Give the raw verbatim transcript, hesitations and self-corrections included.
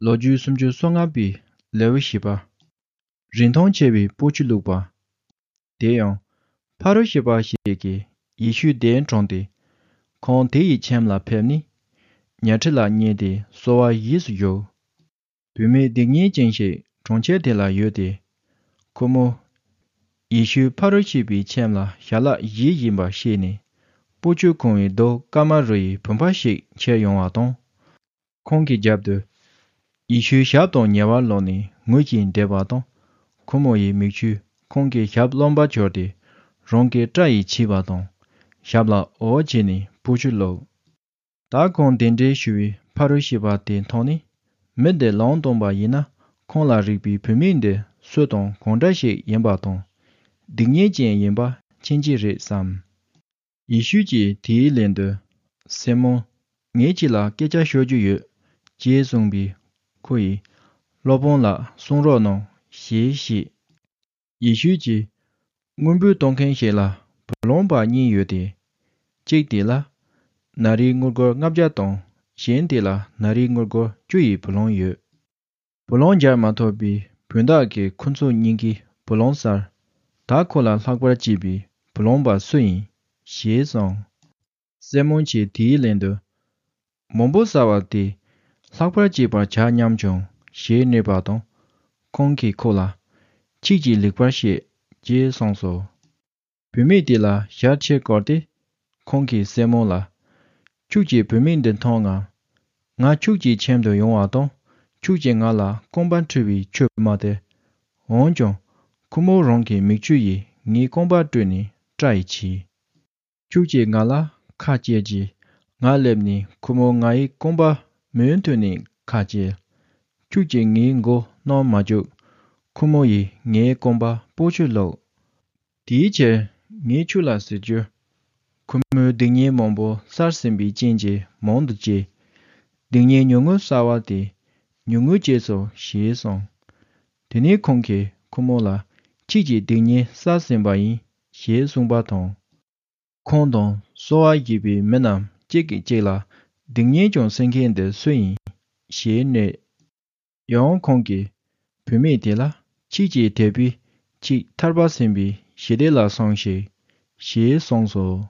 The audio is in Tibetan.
ལོ་རྒྱུས་སུམ་ཅུ་སོ་ལྔ་པའི་ལེའུ་བཞི་པ། རིན་ཐང་ཆེ་བའི་སྤོ་ཆུ་བླུགས་པ། དེ་ཡང་། ཕ་རུ་ཤི་པ་ཞིག་གིས་ཡེ་ཤུའི་གདན་དྲངས་ཏེ། ཁོང་དེ་ཡི་ཁྱིམ་ལ་ཕེབས་ནས། ཉལ་ཁྲི་ལ་བསྙེས་ཏེ་གསོལ་བ་ཡིས་སུ་བཞུགས། བུད་མེད་སྡིག་ཉེས་ཅན་ཞིག་གྲོང་ཁྱེར་དེ་ལ་ཡོད་དེ། ཁོ་མོ། ཡེ་ཤུ་ཕ་རུ་ཤི་པའི་ཁྱིམ་ལ་ཞལ་ལག་བཞེས་བཞིན་པ་ཤེས་ནས། སྤོ་ཆུ་ཁུང་བའི་རྡོ་སྐར་མ་རུ་ཡི་བུམ་པ་ཞིག་ཁྱེར་ཡོང་བ་དང་། ཁོང་གི་རྒྱབ་ཏུ། ཡེ་ཤུའི་ཞབས་དང་ཉེ་བར་ལོག་ནས་ངུ་བཞིན་བསྡད་པ་དང་། ཁོ་མོ་ཡི་མིག་ཆུས་ཁོང་གི་ཞབས་རློན་པ་འཁྱོར་ཏེ། རང་གི་སྐྲ་ཡིས་ཕྱིས་པ་དང་། ཞབས་ལ་འོ་བྱས་ནས་སྤོ་ཆུ་བླུགས། ད་ཁོང་གདན་འདྲེན་ཞུ་བའི་ཕ་རུ་ཤི་པ་དེ་མཐོང་ནས། མི་འདི་ལུང་སྟོན་པ་ཡིན་ན། ཁོང་ལ་རིག་པའི་བུད་མེད་འདི་སུ་དང་གང་འདྲ་ཞིག་ཡིན་པ་དང་། སྡིག་ཉེས་ཅན་ཡིན་པ་མཁྱེན་གྱི་རེད་བསམ། ཡེ་ཤུ་གྱིས་དེའི་ལན་དུ། སི་མོན། ངས་ཁྱེད་ལ་སྐད་ཆ་ཤོད་རྒྱུ་ཡོད། ཅེས་གསུངས་པས། ཁོ་ཡིས། སློབ་དཔོན་ལགས་གསུང་རོགས་གནང་། ཞེས་བཤད། ཡེ་ཤུ་གྱིས། དངོས་འབུལ་གཏོང་མཁན་ཞིག་ལ་བུ་ལོན་པ་གཉིས་ཡོད་དེ། གཅིག་དེ་ལ། ན་རིའི་དངུལ་སྒོར་ལྔ་བརྒྱ་དང་། གཞན་དེ་ལ་ན་རིའི་དངུལ་སྒོར་བཅུ་ཡི་བུ་ལོན་ཡོད། བུ་ལོན་འཇལ་མ་ཐུབ་པའི་བུན་བདག་གིས་ཁོ་ཚོ་གཉིས་ཀའི་བུ་ལོན་བསལ། ད་ཁོ་ལ་ལྷག་པར་སྐྱེས་པའི་བུ་ལོན་པ་སུ་ཡིན། ཞེས་གསུངས། སི་མོན་གྱིས་དེའི་ལན་དུ། མང་པོ་བསལ་བ་དེས་ལྷག་པར་སྐྱེས་པར་བྱ་སྙམ་བྱུང་ཞེས་སྨྲས་པ་དང་། ཁོང་གིས་ཁོ་ལ། ཁྱེད་ཀྱིས་ལེགས་པར་བཤད། ཅེས་གསུངས་སོ། བུད་མེད་དེ་ལ་ཞལ་ཕྱེ་བསྐོར་ཏེ། ཁོང་གིས་སི་མོན་ལ། ཁྱོད་ཀྱིས་བུད་མེད་འདི་མཐོང་ངམ། ང་ཁྱོད་ཀྱི་ཁྱིམ་དུ་ཡོང་བ་དང་། ཁྱོད་ཀྱིས་ང་ལ་རྐང་པ་འཁྲུ་བའི་ཆུ་མ་སྟེར། འོན་ཀྱང་། ཁོ་མོ་རང་གི་མིག་ཆུ་ཡིས་ངའི་རྐང་པ་བཀྲུས་ནས་སྐྲ་ཡིས་ཕྱིས། ཁྱོད་ཀྱིས་ང་ལ་ཁ་བཅད་ཀྱིས། ང་སླེབས་ནས་ཁོ་མོ་ང་ཡི་རྐང་པ་མུ་མཐུད་ནས་ཁ་བཅད། ཁྱོད་ཀྱིས་ངའི་མགོ་བསྣུན་མ་བཅུག། ཁོ་མོ་ཡིས་ངའི་རྐང་པ་སྤོ་ཆུ་བླུགས། དེའི་ཕྱིར་ངས་ཁྱོད་ལ་ཟེར་རྒྱུ། ཁོ་མོའི་སྡིག་ཉེས་མང་པོ་བསལ་ཟིན་པའི་རྐྱེན་གྱིས་མང་དུ་སྐྱེས། སྡིག་ཉེས་ཉུང་ངུ་བསལ་བ་དེས་ཉུང་ངུ་སྐྱེས་སོ་ཞེས་གསུངས། དེ་ནས་ཁོང་གིས་ཁོ་མོ་ལ། ཁྱེད་ཀྱི་སྡིག་ཉེས་བསལ་ཟིན་པ་ཡིན། ཞེས་གསུངས་པ་དང་། ཁོང་དང་གསོལ་བ་བཞེས་པའི་མི་རྣམས་གཅིག་གིས་གཅིག་ལ། སྡིག་ཉེས་ཀྱང་སེལ་མཁན་འདི་སུ་ཡིན། ཞེས་སྨྲས། ཡང་ཁོང་གིས་བུད་མེད་དེ་ལ། ཁྱེད་ཀྱི་དད་པས་ཁྱེད་ཐར་པ་ཟིན་པའི་ཞི་བདེ་ལ་སོང་ཞིག། ཞེས་གསུངས་སོ།